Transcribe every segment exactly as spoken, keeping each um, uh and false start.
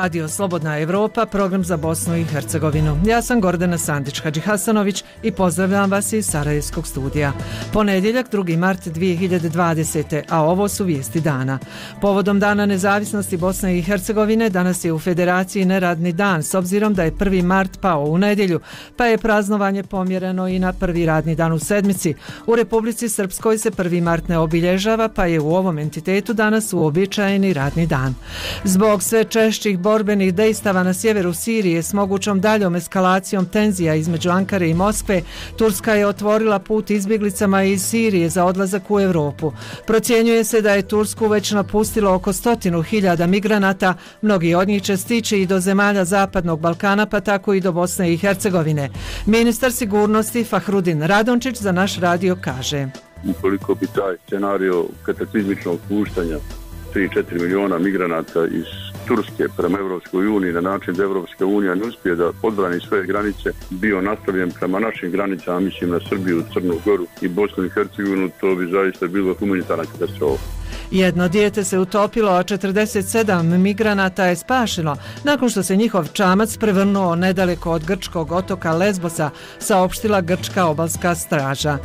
Radio Slobodna Evropa, program za Bosnu i Hercegovinu. Ja sam Gordana Sandić-Hadžihasanović i pozdravljam vas iz Sarajevskog studija. Ponedjeljak, drugi mart dvije hiljade dvadesete. a ovo su vijesti dana. Povodom Dana nezavisnosti Bosne i Hercegovine danas je u Federaciji neradni dan, s obzirom da je prvi mart pao u nedjelju, pa je praznovanje pomjereno i na prvi radni dan u sedmici. U Republici Srpskoj se prvi mart ne obilježava, pa je u ovom entitetu danas uobičajeni radni dan. Zbog sve češćih borbenih dejstava na sjeveru Sirije s mogućom daljom eskalacijom tenzija između Ankare i Moskve, Turska je otvorila put izbjeglicama iz Sirije za odlazak u Europu. Procjenjuje se da je Tursku već napustilo oko stotinu hiljada migranata, mnogi od njih će stići i do zemalja Zapadnog Balkana, pa tako i do Bosne i Hercegovine. Ministar sigurnosti Fahrudin Radončić za naš radio kaže: ukoliko bi taj scenario kataklizmičnog puštanja tri do četiri miliona migranata iz Turske prema Evropskoj uniji na način da Evropska unija ne uspije da odbrani svoje granice bio nastavljen prema našim granicama, mislim na Srbiju, Crnu Goru i Bosnu i Hercegovinu, to bi zaista bilo humanitarna katastrofa. Jedno dijete se utopilo, a četrdeset sedam migranata je spašeno nakon što se njihov čamac prevrnuo nedaleko od grčkog otoka Lesbosa, saopštila grčka obalska straža.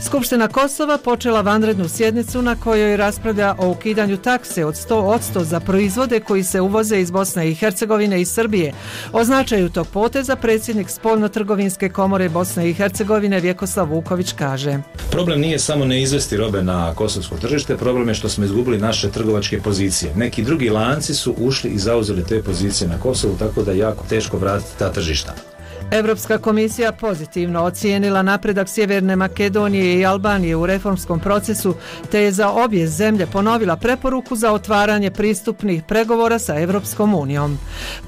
Skupština Kosova počela vanrednu sjednicu na kojoj raspravlja o ukidanju takse od sto posto za proizvode koji se uvoze iz Bosne i Hercegovine i Srbije. O značaju tog poteza predsjednik Spoljno-trgovinske komore Bosne i Hercegovine Vjekoslav Vuković kaže: problem nije samo ne izvesti robe na kosovsko tržište, problem je što smo izgubili naše trgovačke pozicije. Neki drugi lanci su ušli i zauzeli te pozicije na Kosovu, tako da je jako teško vratiti ta tržišta. Europska komisija pozitivno ocijenila napredak Sjeverne Makedonije i Albanije u reformskom procesu, te je za obje zemlje ponovila preporuku za otvaranje pristupnih pregovora sa Europskom unijom.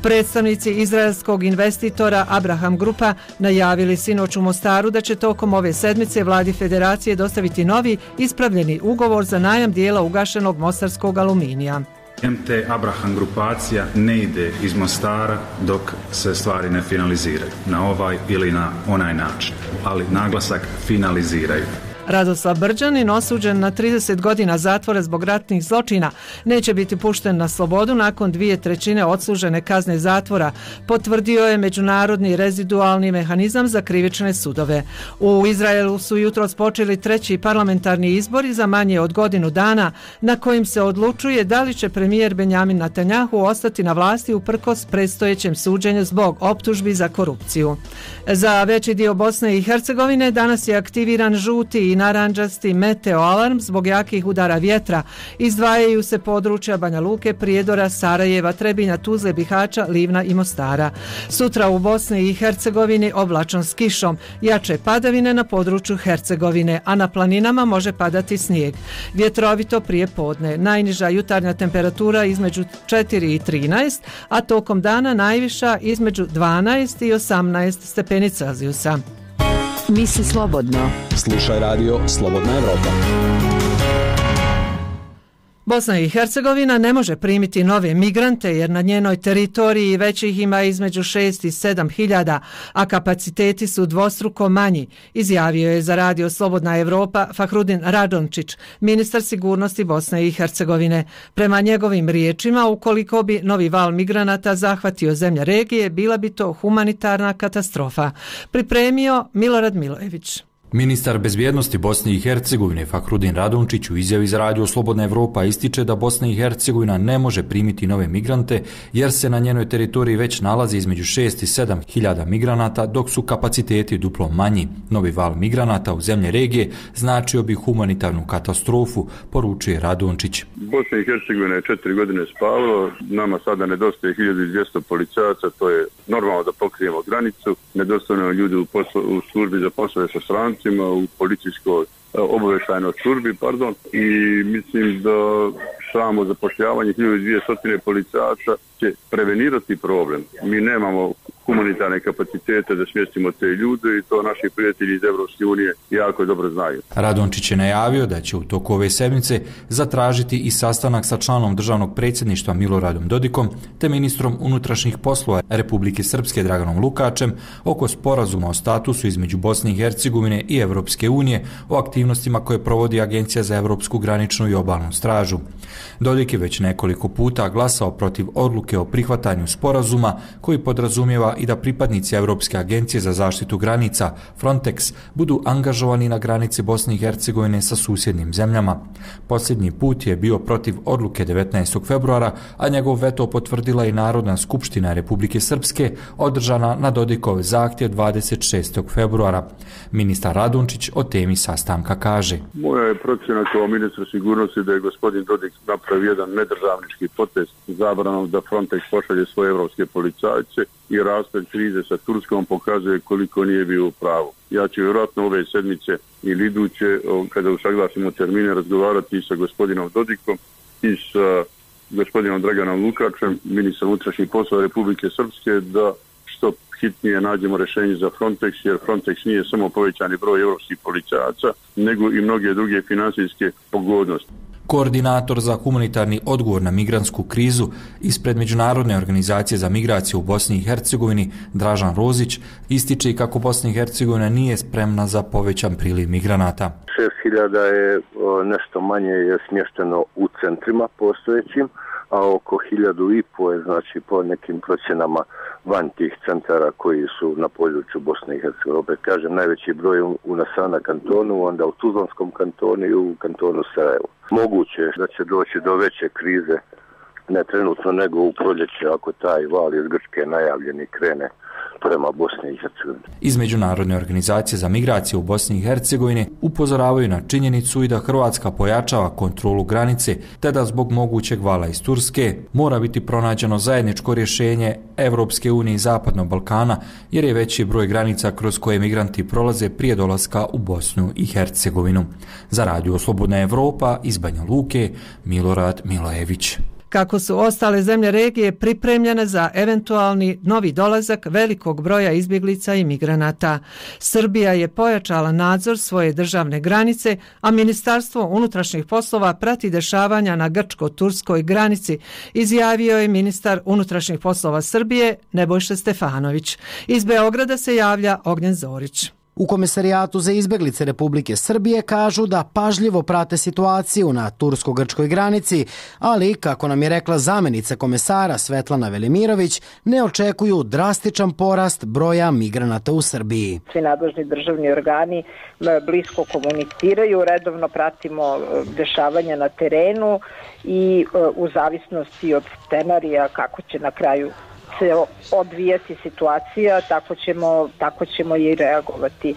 Predstavnici izraelskog investitora Abraham Grupa najavili sinoć u Mostaru da će tokom ove sedmice vladi Federacije dostaviti novi ispravljeni ugovor za najam dijela ugašenog mostarskog aluminija. M T Abraham grupacija ne ide iz Mostara dok se stvari ne finaliziraju na ovaj ili na onaj način, ali naglasak finaliziraju. Radoslav Brđanin, osuđen na trideset godina zatvora zbog ratnih zločina, neće biti pušten na slobodu nakon dvije trećine odslužene kazne zatvora, potvrdio je Međunarodni rezidualni mehanizam za krivične sudove. U Izraelu su jutros počeli treći parlamentarni izbori za manje od godinu dana, na kojim se odlučuje da li će premijer Benjamin Netanjahu ostati na vlasti uprkos predstojećem suđenju zbog optužbi za korupciju. Za veći dio Bosne i Hercegovine danas je aktiviran žuti i narandžasti meteo alarm zbog jakih udara vjetra. Izdvajaju se područja Banja Luke, Prijedora, Sarajeva, Trebinja, Tuzle, Bihaća, Livna i Mostara. Sutra u Bosni i Hercegovini oblačno s kišom, jače padavine na području Hercegovine, a na planinama može padati snijeg. Vjetrovito prije podne, najniža jutarnja temperatura između četiri i trinaest, a tokom dana najviša između dvanaest i osamnaest stepeni Celzijusa. Misli slobodno. Slušaj radio Slobodna Evropa. Bosna i Hercegovina ne može primiti nove migrante jer na njenoj teritoriji već ih ima između šest i sedam hiljada, a kapaciteti su dvostruko manji, izjavio je za radio Slobodna Evropa Fahrudin Radončić, ministar sigurnosti Bosne i Hercegovine. Prema njegovim riječima, ukoliko bi novi val migranata zahvatio zemlje regije, bila bi to humanitarna katastrofa. Pripremio Milorad Milojević. Ministar bezbjednosti Bosne i Hercegovine Fahrudin Radončić u izjavi za radio Slobodna Evropa ističe da Bosna i Hercegovina ne može primiti nove migrante jer se na njenoj teritoriji već nalazi između šest i sedam hiljada migranata, dok su kapaciteti duplo manji. Novi val migranata u zemlje regije značio bi humanitarnu katastrofu, poručuje Radončić. Bosna i Hercegovina je četiri godine spavalo, nama sada nedostaje hiljadu dvjesto policajaca, to je normalno da pokrijemo granicu, nedostajno ljudi u, poslo, u službi za poslove sa strancima, u policijskoj obavještajnoj službi, pardon, i mislim da samo zapošljavanje hiljadu dvjesto policajaca će prevenirati problem. Mi nemamo humanitarne kapacitete da smjestimo te ljude i to naši prijatelji iz Evropske unije jako dobro znaju. Radončić je najavio da će u toku ove sedmice zatražiti i sastanak sa članom državnog predsjedništva Miloradom Dodikom te ministrom unutrašnjih poslova Republike Srpske Draganom Lukačem oko sporazuma o statusu između Bosne i Hercegovine i Evropske unije o aktivnostima koje provodi Agencija za Evropsku graničnu i obalnu stražu. Dodik je već nekoliko puta glasao protiv odluke o prihvatanju sporazuma koji podrazumijeva i da pripadnici Europske agencije za zaštitu granica Frontex budu angažovani na granici Bosne i Hercegovine sa susjednim zemljama. Posljednji put je bio protiv odluke devetnaestog februara, a njegov veto potvrdila i Narodna skupština Republike Srpske održana na Dodikov zahtjev dvadeset šestog februara. Ministar Radončić o temi sastanka kaže: Moja je procjena kao ministra sigurnosti da je gospodin Dodik napravio jedan nedržavnički potez zabranom da Frontex pošalje svoje evropske policajce i rasplet krize sa Turskom pokazuje koliko nije bio u pravu. Ja ću vjerojatno ove sedmice ili iduće, kada usaglasimo termine, razgovarati sa gospodinom Dodikom i sa gospodinom Draganom Lukačem, ministrom unutrašnjih poslova Republike Srpske, da što hitnije nađemo rješenje za Frontex, jer Frontex nije samo povećani broj evropskih policajaca, nego i mnoge druge financijske pogodnosti. Koordinator za humanitarni odgovor na migrantsku krizu ispred Međunarodne organizacije za migraciju u Bosni i Hercegovini, Dražan Rozić, ističe kako Bosna i Hercegovina nije spremna za povećan priliv migranata. šest hiljada je nešto manje je smješteno u centrima postojećim, a oko hiljadu i po je, znači, po nekim procjenama van tih centara koji su na području Bosne i Hercegovine. Opet kažem, najveći broj u Nasana kantonu, onda u Tuzlanskom kantonu i u kantonu Sarajevo. Moguće je da će doći do veće krize, ne trenutno nego u proljeće, ako taj val iz Grčke najavljeni krene prema Bosni i Hercegovini. Iz Međunarodne organizacije za migraciju u Bosni i Hercegovini upozoravaju na činjenicu i da Hrvatska pojačava kontrolu granice, te da zbog mogućeg vala iz Turske mora biti pronađeno zajedničko rješenje Evropske unije i Zapadnog Balkana, jer je veći broj granica kroz koje migranti prolaze prije dolaska u Bosnu i Hercegovinu. Za Radio Slobodna Evropa iz Banja Luke, Milorad Milojević. Kako su ostale zemlje regije pripremljene za eventualni novi dolazak velikog broja izbjeglica i migranata. Srbija je pojačala nadzor svoje državne granice, a Ministarstvo unutrašnjih poslova prati dešavanja na grčko-turskoj granici, izjavio je ministar unutrašnjih poslova Srbije Nebojša Stefanović. Iz Beograda se javlja Ognjen Zorić. U Komesarijatu za izbjeglice Republike Srbije kažu da pažljivo prate situaciju na tursko-grčkoj granici, ali, kako nam je rekla zamjenica komesara Svetlana Velimirović, ne očekuju drastičan porast broja migranata u Srbiji. Svi nadležni državni organi blisko komuniciraju, redovno pratimo dešavanja na terenu i u zavisnosti od scenarija kako će na kraju se odvijati situacija, tako ćemo, tako ćemo i reagovati. E,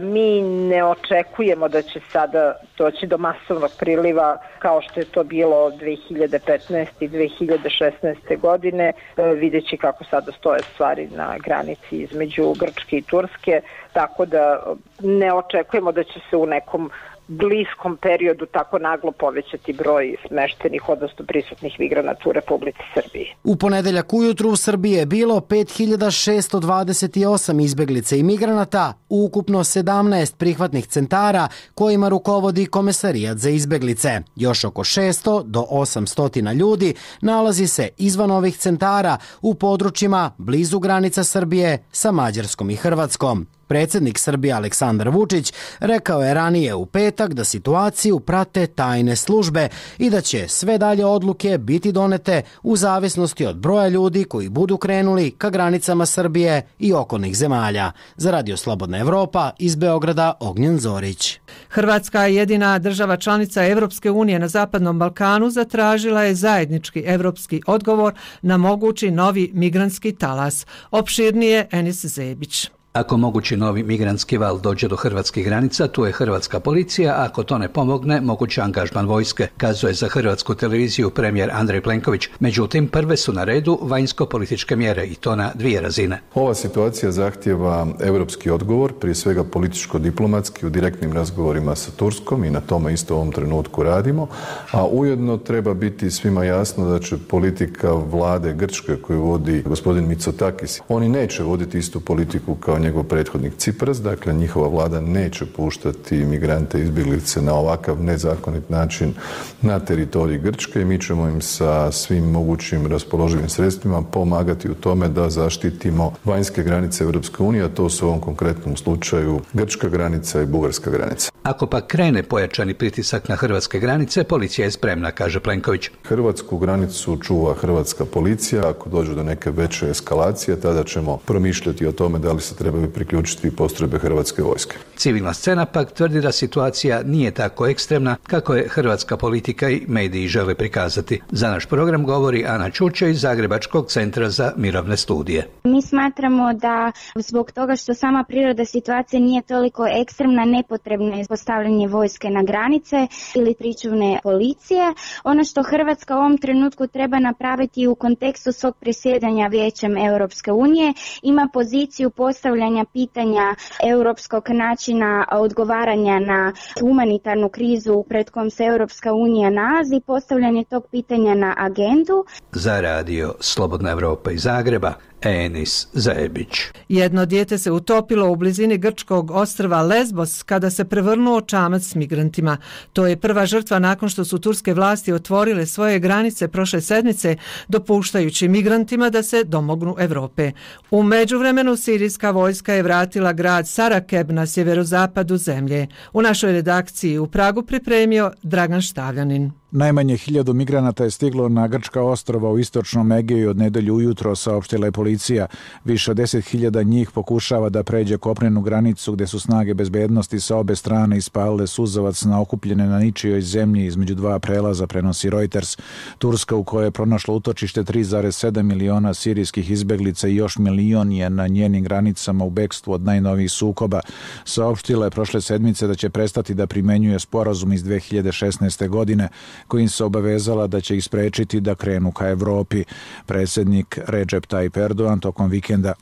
mi ne očekujemo da će sada doći do masovnog priliva kao što je to bilo dve hiljade petnaeste i dve hiljade šesnaeste godine, e, videći kako sada stoje stvari na granici između Grčke i Turske, tako da ne očekujemo da će se u nekom bliskom periodu tako naglo povećati broj smeštenih, odnosno prisutnih migranata u Republici Srbiji. U ponedeljak ujutru u Srbiji je bilo pet hiljada šesto dvadeset osam izbjeglica i migranata, ukupno sedamnaest prihvatnih centara kojima rukovodi Komesarijat za izbjeglice. Još oko šesto do osamsto ljudi nalazi se izvan ovih centara u područjima blizu granica Srbije sa Mađarskom i Hrvatskom. Predsjednik Srbije Aleksandar Vučić rekao je ranije u petak da situaciju prate tajne službe i da će sve dalje odluke biti donete u zavisnosti od broja ljudi koji budu krenuli ka granicama Srbije i okolnih zemalja. Za Radio Slobodna Evropa iz Beograda Ognjen Zorić. Hrvatska, jedina država članica Evropske unije na Zapadnom Balkanu, zatražila je zajednički evropski odgovor na mogući novi migrantski talas. Opširnije Enis Zebić. Ako mogući novi migrantski val dođe do hrvatskih granica, tu je hrvatska policija, a ako to ne pomogne, mogući angažman vojske, kazuje za hrvatsku televiziju premijer Andrej Plenković. Međutim, prve su na redu vanjsko-političke mjere i to na dvije razine. Ova situacija zahtijeva europski odgovor, prije svega političko-diplomatski u direktnim razgovorima sa Turskom i na tome isto u ovom trenutku radimo, a ujedno treba biti svima jasno da će politika vlade Grčke koju vodi gospodin Mitsotakis, oni neće voditi istu politiku kao njegov prethodnik Cipras, dakle njihova vlada neće puštati migrante izbjeglice na ovakav nezakonit način na teritorij Grčke i mi ćemo im sa svim mogućim raspoloživim sredstvima pomagati u tome da zaštitimo vanjske granice Europske unije, a to su u ovom konkretnom slučaju grčka granica i bugarska granica. Ako pa krene pojačani pritisak na hrvatske granice, policija je spremna, kaže Plenković. Hrvatsku granicu čuva hrvatska policija, ako dođe do neke veće eskalacije, tada ćemo promišljati o tome da li se trebaju priključiti postrojbe hrvatske vojske. Civilna scena pak tvrdi da situacija nije tako ekstremna kako je hrvatska politika i mediji žele prikazati. Za naš program govori Ana Čuče iz Zagrebačkog centra za mirovne studije. Mi smatramo da zbog toga što sama priroda situacije nije toliko ekstremna, nepotrebno je postavljanje vojske na granice ili pričuvne policije. Ono što Hrvatska u ovom trenutku treba napraviti u kontekstu svog predsjedanja Vijećem Europske unije, ima poziciju postavljanja pitanja europskog načina odgovaranja na humanitarnu krizu pred kojom se Europska unija nalazi, postavljanje tog pitanja na agendu. Za radio Slobodna Evropa iz Zagreba, Enis Zajebić. Jedno dijete se utopilo u blizini grčkog ostrva Lesbos kada se prevrnuo čamac s migrantima. To je prva žrtva nakon što su turske vlasti otvorile svoje granice prošle sedmice, dopuštajući migrantima da se domognu Europe. U međuvremenu sirijska vojska je vratila grad Sarakeb na sjeverozapadu zemlje. U našoj redakciji u Pragu pripremio Dragan Štavljanin. Najmanje hiljadu migranata je stiglo na grčka ostrva u istočnom Egeju od nedelju ujutro, saopštila je policija. Više od deset hiljada njih pokušava da pređe kopnenu granicu gdje su snage bezbednosti sa obe strane ispalile suzavac na okupljene na ničijoj zemlji između dva prelaza, prenosi Reuters. Turska, u kojoj je pronašlo utočište tri zarez sedam miliona sirijskih izbeglica i još milion je na njenim granicama u bekstvu od najnovijih sukoba, saopštila je prošle sedmice da će prestati da primenjuje sporazum iz dve hiljade šesnaeste. godine kojim se obavezala da će ih sprečiti da krenu ka Evropi. Predsjednik Recep Tayyip Erdogan tokom vikenda.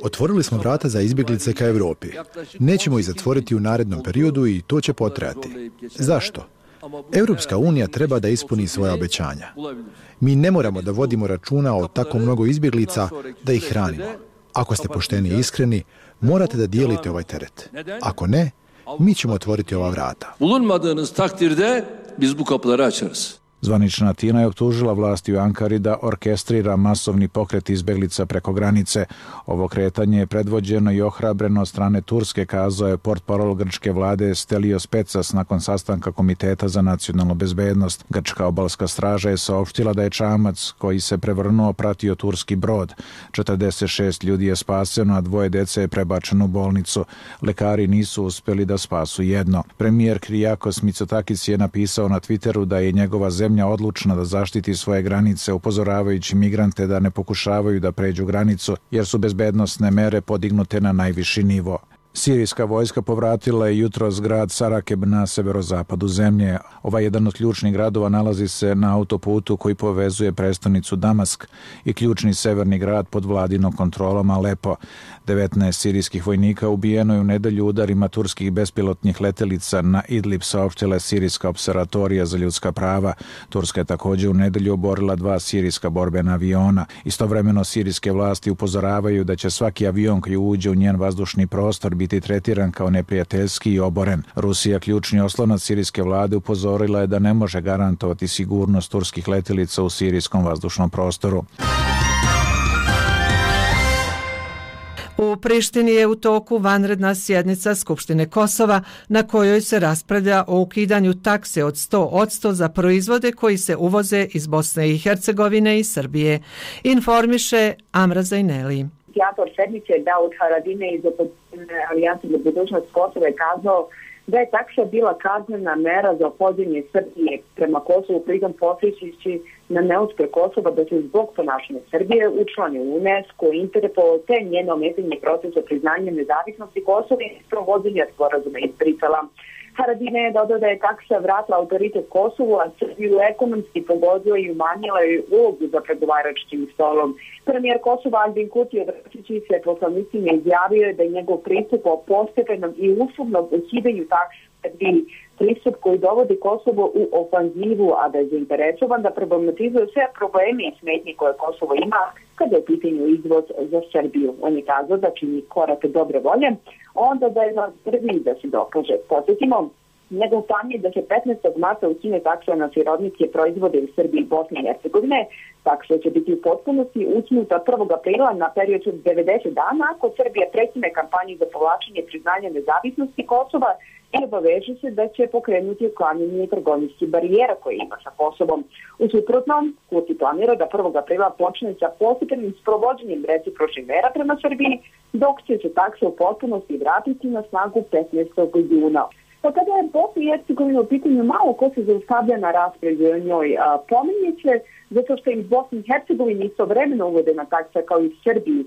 Otvorili smo vrata za izbjeglice ka Evropi. Nećemo ih zatvoriti u narednom periodu i to će potrajati. Zašto? Europska unija treba da ispuni svoja obećanja. Mi ne moramo da vodimo računa o tako mnogo izbjeglica da ih hranimo. Ako ste pošteni i iskreni, morate da dijelite ovaj teret. Ako ne, mi ćemo otvoriti ova vrata. Bulunmadığınız takdirde biz bu kapıları açarız. Zvanična Atina je optužila vlasti u Ankari da orkestrira masovni pokret izbeglica preko granice. Ovo kretanje je predvođeno i ohrabreno od strane Turske, kazao je portparol grčke vlade Stelios Petsas nakon sastanka Komiteta za nacionalnu bezbednost. Grčka obalska straža je saopštila da je čamac koji se prevrnuo pratio turski brod. četrdeset šest ljudi je spaseno, a dvoje dece je prebačeno u bolnicu. Lekari nisu uspjeli da spasu jedno. Premijer Kyriakos Mitsotakis je napisao na Twitteru da je njegova zemlja odlučna da zaštiti svoje granice, upozoravajući migrante da ne pokušavaju da pređu granicu, jer su bezbednosne mere podignute na najviši nivo. Sirijska vojska povratila je jutros grad Sarakeb na severozapadu zemlje. Ovaj jedan od ključnih gradova nalazi se na autoputu koji povezuje prestonicu Damask i ključni severni grad pod vladinom kontrolom Alepo. devetnaest sirijskih vojnika ubijeno je u nedelju udarima turskih bespilotnih letelica na Idlib, saopštila je Sirijska observatorija za ljudska prava. Turska je također u nedelju oborila dva sirijska borbena aviona. Istovremeno sirijske vlasti upozoravaju da će svaki avion koji uđe u njen vazdušni prostor biti tretiran kao neprijateljski i oboren. Rusija, ključni oslonac sirijske vlade, upozorila je da ne može garantovati sigurnost turskih letelica u sirijskom vazdušnom prostoru. U Prištini je u toku vanredna sjednica Skupštine Kosova na kojoj se raspravlja o ukidanju takse od sto posto za proizvode koji se uvoze iz Bosne i Hercegovine i Srbije. Informiše Amra Zajneli. Inicijator sednice Daud Haradine iz opozicijne Alijanse za budućnost Kosova je kazao da je taksa bila kaznena mera za opođenje Srbije prema Kosovu, pritom posjećajući na neuspjeh Kosova da se zbog ponašanja Srbije učlani u UNESCO, Interpol, te njeno ometanje procesa priznanja nezavisnosti Kosova i provođenja sporazuma izbrisala. Haradine je dodao da je taksa vratila autoritet Kosovu, a Srbiju ekonomski pogodila i umanjila joj ulogu za pregovaračkim stolom. Premijer Kosova Albin Kurti obraćajući se poslanicima izjavio je da je njegov pristup o postepenom i uslovnom ukidanju takse Srbiji pristup koji dovodi Kosovo u ofanzivu, a da je zainteresovan da problematizuje sve probleme i smetnje koje Kosovo ima kada je u pitanju izvoz za Srbiju. On je kazao da čini korak dobre volje, onda da je na Srbiji da se dokaže. Posjetimo, njegov plan je da se petnaestog marta ukine taksa na sirodničke proizvode u Srbiji i Bosni i Hercegovine. Taksa će biti u potpunosti ukinuta prvog aprila na period od devedeset dana ako Srbija prekine kampanju za povlačenje priznanja nezavisnosti Kosova i obaveže se da će pokrenuti uklanjanje trgovinskih barijera koje ima sa Kosovom. U suprotnom, Kurti planira da prvog aprila počne sa postepenim sprovođenjem recipročnih mera prema Srbiji, dok će se taksa u potpunosti vratiti na snagu petnaestog juna. Pa kada je Bosna i Hercegovina u pitanju, malo ko se zaustavlja na raspravi o njoj. Pominje se zato što je i Bosni i Hercegovini istovremeno uvedena taksa kao i Srbiji,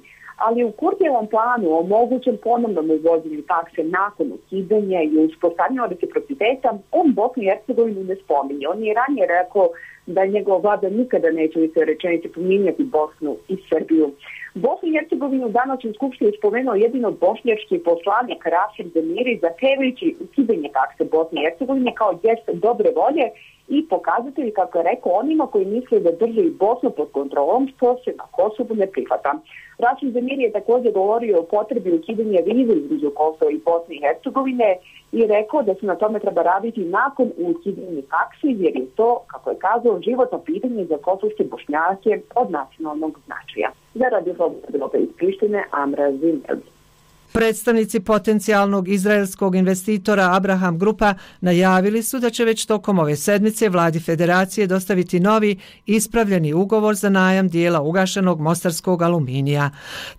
ali u Kurtijevom planu o mogućem ponovnom uvođenju takse nakon ukidanja i uspostavljanja reciprociteta, on Bosnu i Hercegovinu ne spominje. On je ranije rekao da njegova vlada nikada neće u toj rečenici pominjati Bosnu i Srbiju. Bosnu i Hercegovinu danas u Skupštini spomenuo jedino bošnjački poslanik Rasim Demiri zahtevajući ukidanje takse Bosne i Hercegovine kao gest dobre volje i pokazatelji, kako je rekao, onima koji misle da drže i Bosnu pod kontrolom, što se na Kosovu ne prihvata. Rasim Demiri je također govorio o potrebi ukidanja vize između Kosova i Bosne i Hercegovine i rekao da se na tome treba raditi nakon ukidanja takse, jer je to, kako je kazao, životno pitanje za kosovske Bošnjake od nacionalnog značaja. Za Radio Slobodna Evropa iz Prištine, Amra Zimel. Predstavnici potencijalnog izraelskog investitora Abraham Grupa najavili su da će već tokom ove sedmice vladi federacije dostaviti novi ispravljeni ugovor za najam dijela ugašenog mostarskog aluminija.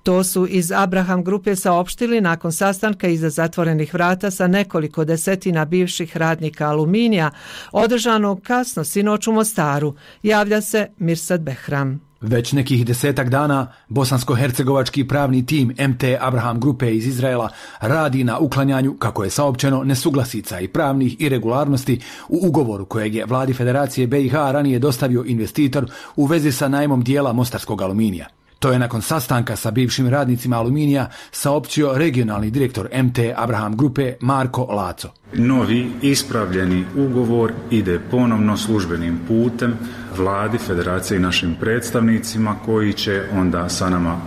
To su iz Abraham Grupe saopštili nakon sastanka iza zatvorenih vrata sa nekoliko desetina bivših radnika aluminija, održanog kasno sinoć u Mostaru. Javlja se Mirsad Behram. Već nekih desetak dana bosansko-hercegovački pravni tim M T Abraham Grupe iz Izraela radi na uklanjanju, kako je saopćeno, nesuglasica i pravnih irregularnosti u ugovoru kojeg je vladi Federacije B i H ranije dostavio investitor u vezi sa najmom dijela mostarskog aluminija. To je nakon sastanka sa bivšim radnicima aluminija saopćio regionalni direktor M T Abraham Grupe Marko Laco. Novi ispravljeni ugovor ide ponovno službenim putem vladi, federacije i našim predstavnicima koji će onda sa nama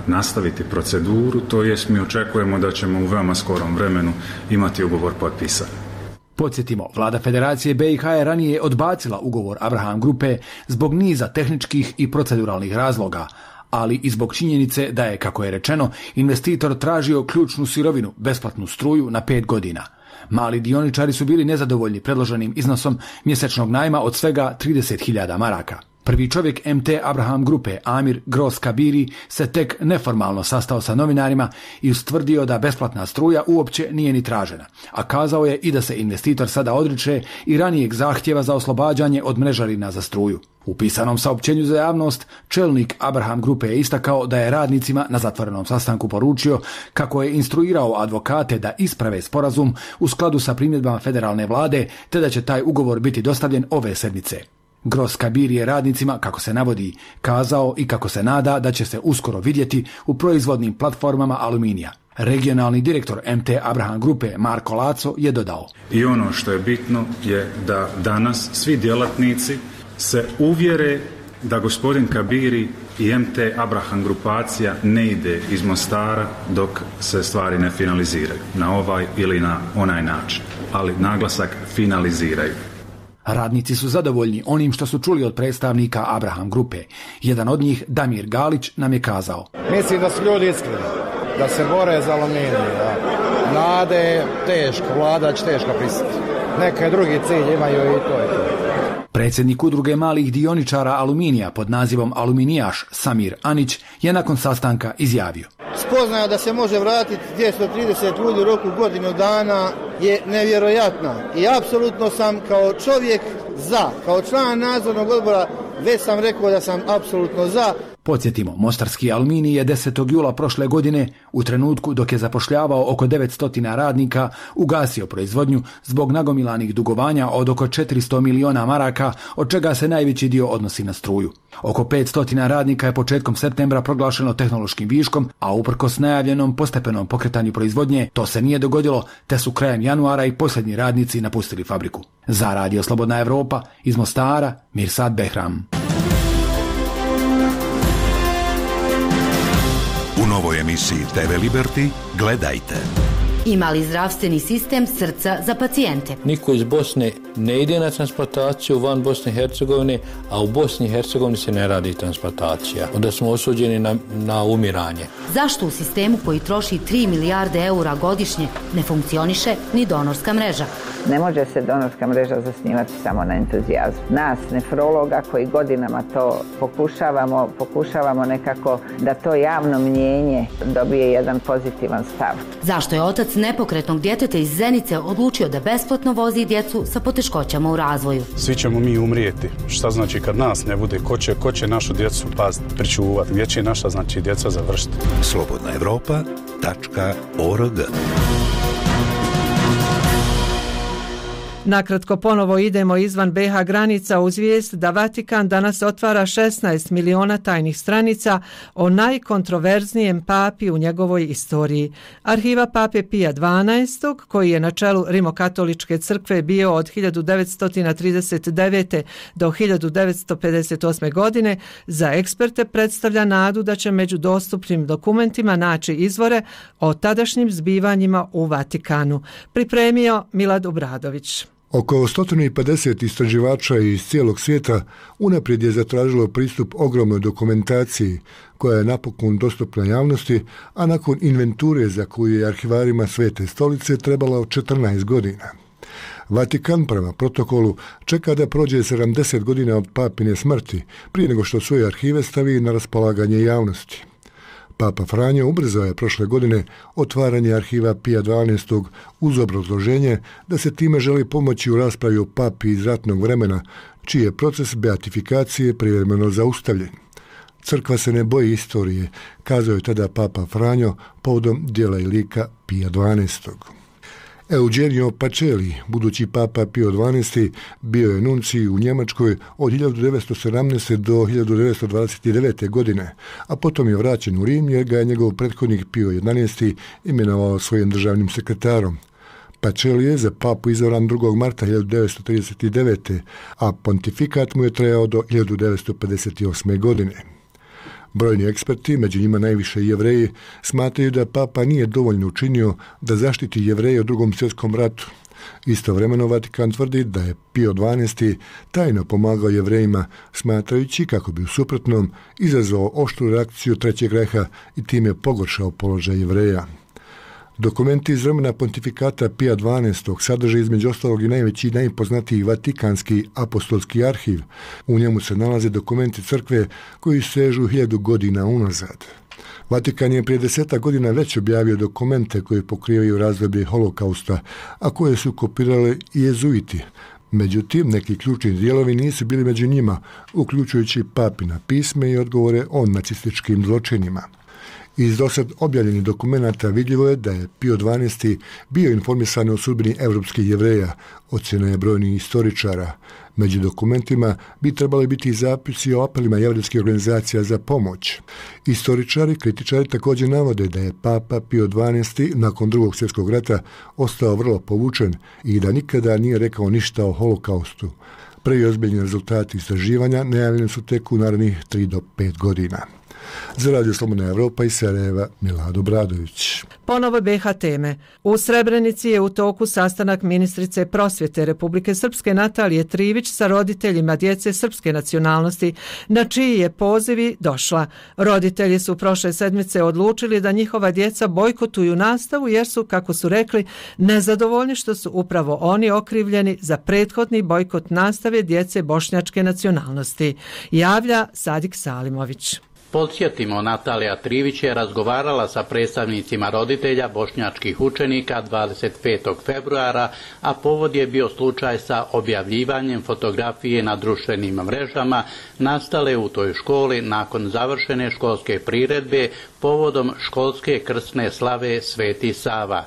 nastaviti proceduru, to jest mi očekujemo da ćemo u veoma skorom vremenu imati ugovor potpisan. Podsjetimo, vlada Federacije B i H je ranije odbacila ugovor Abraham Grupe zbog niza tehničkih i proceduralnih razloga, ali i zbog činjenice da je, kako je rečeno, investitor tražio ključnu sirovinu, besplatnu struju na pet godina. Mali dioničari su bili nezadovoljni predloženim iznosom mjesečnog najma od svega trideset hiljada maraka. Prvi čovjek M T Abraham Grupe, Amir Gros Kabiri, se tek neformalno sastao sa novinarima i ustvrdio da besplatna struja uopće nije ni tražena, a kazao je i da se investitor sada odriče i ranijeg zahtjeva za oslobađanje od mrežarina za struju. U pisanom saopćenju za javnost, čelnik Abraham Grupe je istakao da je radnicima na zatvorenom sastanku poručio kako je instruirao advokate da isprave sporazum u skladu sa primjedbama federalne vlade, te da će taj ugovor biti dostavljen ove sedmice. Gros Kabir je radnicima, kako se navodi, kazao i kako se nada da će se uskoro vidjeti u proizvodnim platformama aluminija. Regionalni direktor M T Abraham Grupe Marko Laco je dodao. I ono što je bitno je da danas svi djelatnici se uvjere da gospodin Kabiri i M T Abraham grupacija ne ide iz Mostara dok se stvari ne finaliziraju na ovaj ili na onaj način, ali naglasak finaliziraju. Radnici su zadovoljni onim što su čuli od predstavnika Abraham Grupe. Jedan od njih, Damir Galić, nam je kazao. Mislim da su ljudi iskreni, da se bore za aluminij. Nade je teško, vlada će teško pristati. Neke drugi cilj imaju i to je to. Predsjednik udruge malih dioničara aluminija pod nazivom Aluminijaš Samir Anić je nakon sastanka izjavio. spoznaja da se može vratiti dvjesto trideset ljudi u roku godinu dana je nevjerojatna. I apsolutno sam kao čovjek za, kao član nadzornog odbora, već sam rekao da sam apsolutno za. Podsjetimo, mostarski Aluminij je desetog jula prošle godine, u trenutku dok je zapošljavao oko devetsto radnika, ugasio proizvodnju zbog nagomilanih dugovanja od oko četiristo miliona maraka, od čega se najveći dio odnosi na struju. Oko petsto radnika je početkom septembra proglašeno tehnološkim viškom, a uprkos najavljenom postepenom pokretanju proizvodnje, to se nije dogodilo, te su krajem januara i posljednji radnici napustili fabriku. Za Radio Slobodna Evropa, iz Mostara, Mirsad Behram. U novoj emisiji te ve Liberty gledajte. Ima li zdravstveni sistem srca za pacijente? Niko iz Bosne ne ide na transplantaciju van Bosne i Hercegovine, a u Bosni i Hercegovini se ne radi transplantacija. Onda smo osuđeni na, na umiranje. Zašto u sistemu koji troši tri milijarde eura godišnje ne funkcioniše ni donorska mreža? Ne može se donorska mreža zasnivati samo na entuzijazmu. Nas, nefrologa, koji godinama to pokušavamo, pokušavamo nekako da to javno mnjenje dobije jedan pozitivan stav. Zašto je otac nepokretnog djeteta iz Zenice odlučio da besplatno vozi djecu sa poteškoćama u razvoju? Svi ćemo mi umrijeti. Šta znači kad nas ne bude? Ko će, ko će našu djecu paziti, pričuvati? Gdje će naša, znači, djeca završiti? slobodna evropa tačka org. Nakratko ponovo idemo izvan be ha granica uz vijest da Vatikan danas otvara šesnaest miliona tajnih stranica o najkontroverznijem papi u njegovoj istoriji. Arhiva pape Pija dvanaestog, koji je na čelu Rimokatoličke crkve bio od hiljadu devetsto trideset devete do hiljadu devetsto pedeset osme. godine, za eksperte predstavlja nadu da će među dostupnim dokumentima naći izvore o tadašnjim zbivanjima u Vatikanu. Pripremio Milad Obradović. Oko sto pedeset istraživača iz cijelog svijeta unaprijed je zatražilo pristup ogromnoj dokumentaciji koja je napokon dostupna javnosti, a nakon inventure za koju je arhivarima Svete stolice trebalo četrnaest godina. Vatikan prema protokolu čeka da prođe sedamdeset godina od papine smrti prije nego što svoje arhive stavi na raspolaganje javnosti. Papa Franjo ubrzao je prošle godine otvaranje arhiva Pija dvanaestog uz obrazloženje da se time želi pomoći u raspravi o papi iz ratnog vremena, čiji je proces beatifikacije privremeno zaustavljen. Crkva se ne boji istorije, kazao je tada Papa Franjo povodom djela i lika Pija dvanaestog. Eugenio Pacelli, budući papa Pio dvanaesti, bio je nuncij u Njemačkoj od hiljadu devetsto sedamnaeste. do hiljadu devetsto dvadeset devete. godine, a potom je vraćen u Rim jer ga je njegov prethodnik Pio jedanaesti. imenovao svojim državnim sekretarom. Pacelli je za papu izabran drugog marta hiljadu devetsto trideset devete. a pontifikat mu je trajao do hiljadu devetsto pedeset osme. godine. Brojni eksperti, među njima najviše Jevreji, smatraju da papa nije dovoljno učinio da zaštiti Jevreje u drugom svjetskom ratu. Istovremeno Vatikan tvrdi da je Pio dvanaesti. tajno pomagao Jevrejima, smatrajući kako bi u suprotnom izazvao oštru reakciju Trećeg Reiha i time pogoršao položaj Jevreja. Dokumenti iz vremena pontifikata Pija dvanaestog. sadrže između ostalog i najveći i najpoznatiji Vatikanski apostolski arhiv. U njemu se nalaze dokumenti crkve koji sežu hiljadu godina unazad. Vatikan je prije desetak godina već objavio dokumente koje pokrivaju razdoblje holokausta, a koje su kopirali i jezuiti. Međutim, neki ključni dijelovi nisu bili među njima, uključujući papina pisme i odgovore o nacističkim zločinima. Iz dosad objavljenih dokumenata vidljivo je da je Pio dvanaesti. bio informisan o sudbini evropskih Jevreja, ocjena je brojnih istoričara. Među dokumentima bi trebali biti i zapisi o apelima jevrejskih organizacija za pomoć. Istoričari, kritičari također navode da je papa Pio dvanaesti. nakon drugog svjetskog rata ostao vrlo povučen i da nikada nije rekao ništa o holokaustu. Prvi ozbiljni rezultati istraživanja najavljeni su tek u narednih tri do pet godina. Za Radio Slobodna Evropa iz Sarajeva, Milad Obradović. Ponovo be ha teme. U Srebrenici je u toku sastanak ministrice prosvjete Republike Srpske Natalije Trivić sa roditeljima djece srpske nacionalnosti, na čiji je pozivi došla. Roditelji su prošle sedmice odlučili da njihova djeca bojkotuju nastavu jer su, kako su rekli, nezadovoljni što su upravo oni okrivljeni za prethodni bojkot nastave djece bošnjačke nacionalnosti. Javlja Sadik Salimović. Podsjetimo, Natalija Trivić je razgovarala sa predstavnicima roditelja bošnjačkih učenika dvadeset petog februara, a povod je bio slučaj sa objavljivanjem fotografije na društvenim mrežama nastale u toj školi nakon završene školske priredbe povodom školske krsne slave Sveti Sava.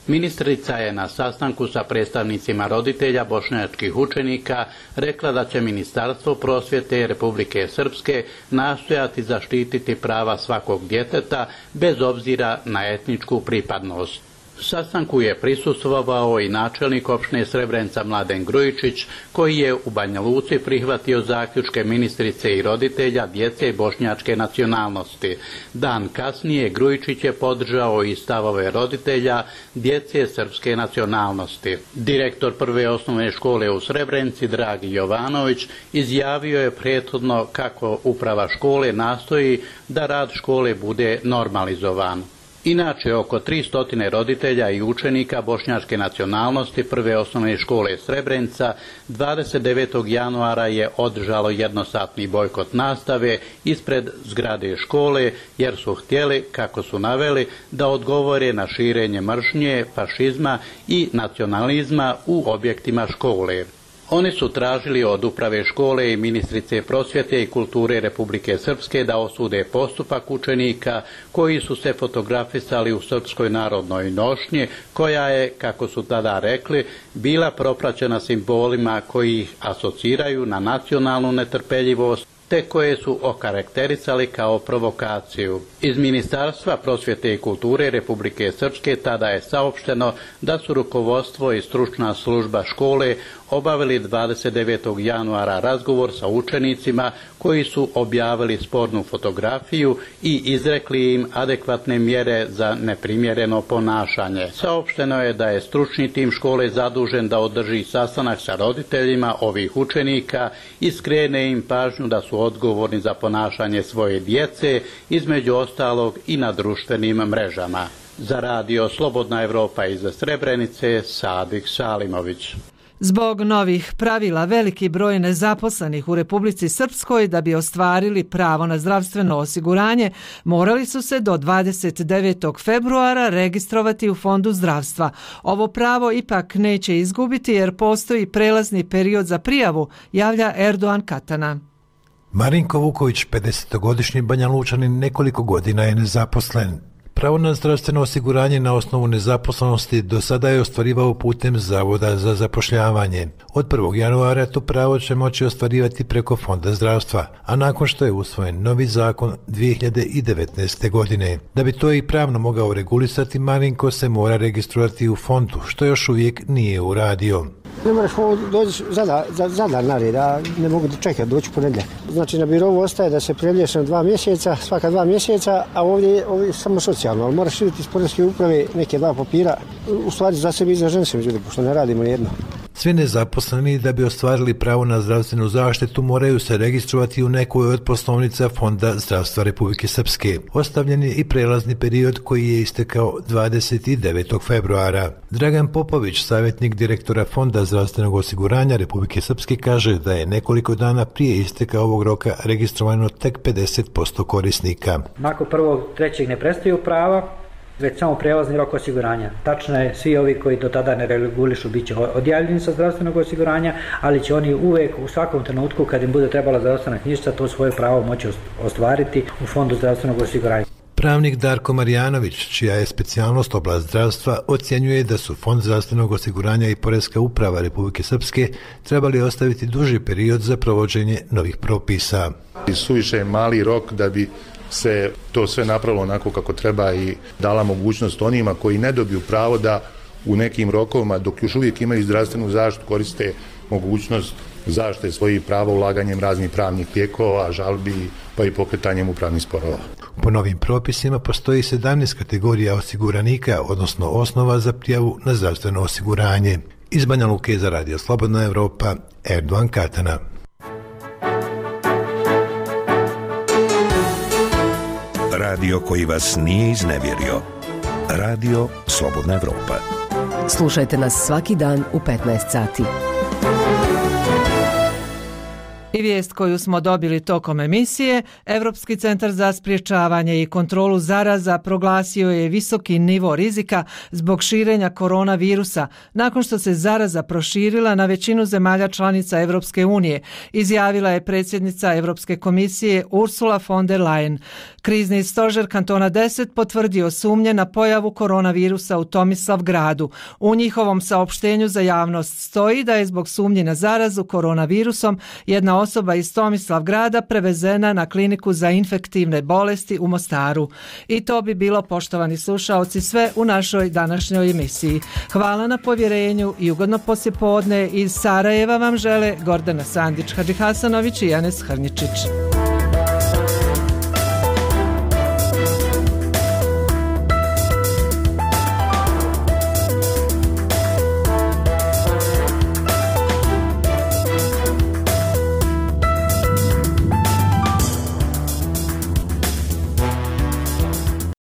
Ministrica je na sastanku sa predstavnicima roditelja bošnjačkih učenika rekla da će Ministarstvo prosvjete Republike Srpske nastojati zaštititi prava svakog djeteta bez obzira na etničku pripadnost. Sastanku je prisustvovao i načelnik opštine Srebrenica Mladen Grujičić, koji je u Banja Luci prihvatio zaključke ministrice i roditelja djece bošnjačke nacionalnosti. Dan kasnije Grujičić je podržao i stavove roditelja djece srpske nacionalnosti. Direktor prve osnovne škole u Srebrenici, Dragi Jovanović, izjavio je prethodno kako uprava škole nastoji da rad škole bude normalizovan. Inače, oko tristo roditelja i učenika bošnjačke nacionalnosti prve osnovne škole Srebrenica dvadeset devetog januara je održalo jednosatni bojkot nastave ispred zgrade škole jer su htjeli, kako su naveli, da odgovore na širenje mržnje, fašizma i nacionalizma u objektima škole. Oni su tražili od uprave škole i ministrice prosvjete i kulture Republike Srpske da osude postupak učenika koji su se fotografisali u Srpskoj narodnoj nošnji, koja je, kako su tada rekli, bila propraćena simbolima koji ih asociraju na nacionalnu netrpeljivost, te koje su okarakterisali kao provokaciju. Iz Ministarstva prosvjete i kulture Republike Srpske tada je saopšteno da su rukovodstvo i stručna služba škole obavili dvadeset devetog januara razgovor sa učenicima koji su objavili spornu fotografiju i izrekli im adekvatne mjere za neprimjereno ponašanje. Saopšteno je da je stručni tim škole zadužen da održi sastanak sa roditeljima ovih učenika i skrene im pažnju da su odgovorni za ponašanje svoje djece, između ostalog i na društvenim mrežama. Za radio Slobodna Evropa iz Srebrenice, Sadik Salimović. Zbog novih pravila veliki broj nezaposlenih u Republici Srpskoj da bi ostvarili pravo na zdravstveno osiguranje morali su se do dvadeset devetog februara registrovati u Fondu zdravstva. Ovo pravo ipak neće izgubiti jer postoji prelazni period za prijavu, javlja Erdoğan Katana. Marinko Vuković, pedesetogodišnji Banja Lučanin, nekoliko godina je nezaposlen. Pravo na zdravstveno osiguranje na osnovu nezaposlenosti do sada je ostvarivao putem Zavoda za zapošljavanje. Od prvog januara to pravo će moći ostvarivati preko Fonda zdravstva, a nakon što je usvojen novi zakon dvije hiljade devetnaeste. godine. Da bi to i pravno mogao regulisati, Marinko se mora registrovati u fondu, što još uvijek nije uradio. Ne moraš doći za, za, za dan nared, a ne mogu da čekati, doći ponedjeljak. Znači na birovu ostaje da se prelješ na dva mjeseca, svaka dva mjeseca, a ovdje, ovdje je samo socijalno, ali moraš vidjeti iz poreske uprave neke dva papira, u stvari za sebi i za ženu se međutim, pošto ne radimo nijedno. Svi nezaposleni da bi ostvarili pravo na zdravstvenu zaštitu moraju se registrovati u nekoj od poslovnica Fonda zdravstva Republike Srpske. Ostavljen je i prelazni period koji je istekao dvadeset devetog februara. Dragan Popović, savjetnik direktora Fonda zdravstvenog osiguranja Republike Srpske, kaže da je nekoliko dana prije isteka ovog roka registrovano tek pedeset posto korisnika. Nakon prvog trećeg ne prestaju prava, već samo prelazni rok osiguranja. Tačno je, svi ovi koji do tada ne regulišu bit će odjavljeni sa zdravstvenog osiguranja, ali će oni uvijek u svakom trenutku kad im bude trebala zdravstvena knjižica to svoje pravo moći ostvariti u Fondu zdravstvenog osiguranja. Pravnik Darko Marjanović, čija je specijalnost oblast zdravstva, ocjenjuje da su Fond zdravstvenog osiguranja i Poreska uprava Republike Srpske trebali ostaviti duži period za provođenje novih propisa. Suviše je mali rok da bi se to sve napravilo onako kako treba i dala mogućnost onima koji ne dobiju pravo da u nekim rokovima, dok još uvijek imaju zdravstvenu zaštitu, koriste mogućnost zaštite svojih prava ulaganjem raznih pravnih lijekova, žalbi pa i pokretanjem upravnih sporova. Po novim propisima postoji sedamnaest kategorija osiguranika, odnosno osnova za prijavu na zdravstveno osiguranje. Iz Banja Luke za radio Slobodna Evropa, Erdoğan Katana. Radio koji vas nije iznevjerio. Radio Slobodna Evropa. Slušajte nas svaki dan u petnaest sati. I vijest koju smo dobili tokom emisije, Europski centar za sprječavanje i kontrolu zaraza proglasio je visoki nivo rizika zbog širenja koronavirusa nakon što se zaraza proširila na većinu zemalja članica Europske unije, izjavila je predsjednica Europske komisije Ursula von der Leyen. Krizni stožer kantona deset potvrdio sumnje na pojavu koronavirusa u Tomislavgradu. U njihovom saopštenju za javnost stoji da je zbog sumnji na zarazu koronavirusom jedna osoba iz Tomislavgrada prevezena na kliniku za infektivne bolesti u Mostaru. I to bi bilo, poštovani slušaoci, sve u našoj današnjoj emisiji. Hvala na povjerenju i ugodno poslijepodne. Iz Sarajeva vam žele Gordana Sandić, Hadži Hasanović i Janes Hrničić.